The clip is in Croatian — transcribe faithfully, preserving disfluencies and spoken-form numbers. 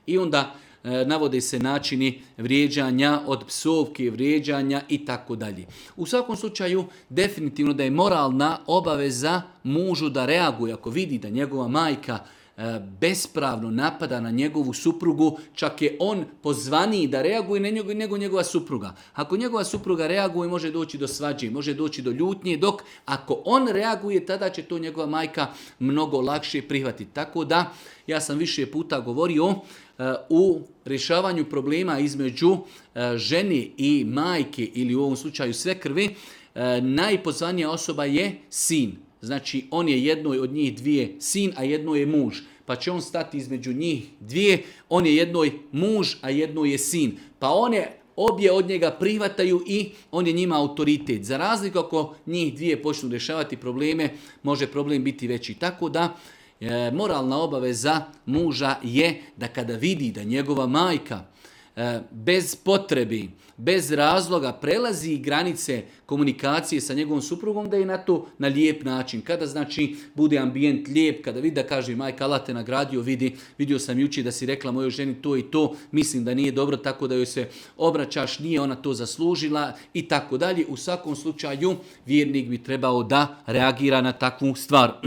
I onda e, navode se načini vrijeđanja od psovke, vrijeđanja i tako dalje. U svakom slučaju, definitivno da je moralna obaveza mužu da reaguje ako vidi da njegova majka bespravno napada na njegovu suprugu, čak je on pozvaniji da reaguje nego, nego njegova supruga. Ako njegova supruga reaguje, može doći do svađe, može doći do ljutnje, dok ako on reaguje, tada će to njegova majka mnogo lakše prihvatiti. Tako da, ja sam više puta govorio u rješavanju problema između žene i majke ili u ovom slučaju svekrve, najpozvanija osoba je sin. Znači, on je jednoj od njih dvije sin, a jedno je muž. Pa će on stati između njih dvije, on je jednoj muž, a jedno je sin. Pa one obje od njega prihvataju i on je njima autoritet. Za razliku ako njih dvije počnu rješavati probleme, može problem biti veći. Tako da, e, moralna obaveza muža je da kada vidi da njegova majka bez potrebi, bez razloga prelazi granice komunikacije sa njegovom suprugom, da je na to na lijep način. Kada znači bude ambijent lijep, kada vidi da kaže majka Allah te nagradio, vidi, vidio sam jučer da si rekla mojoj ženi to i to, mislim da nije dobro, tako da joj se obraćaš, nije ona to zaslužila i tako dalje. U svakom slučaju vjernik bi trebao da reagira na takvu stvar.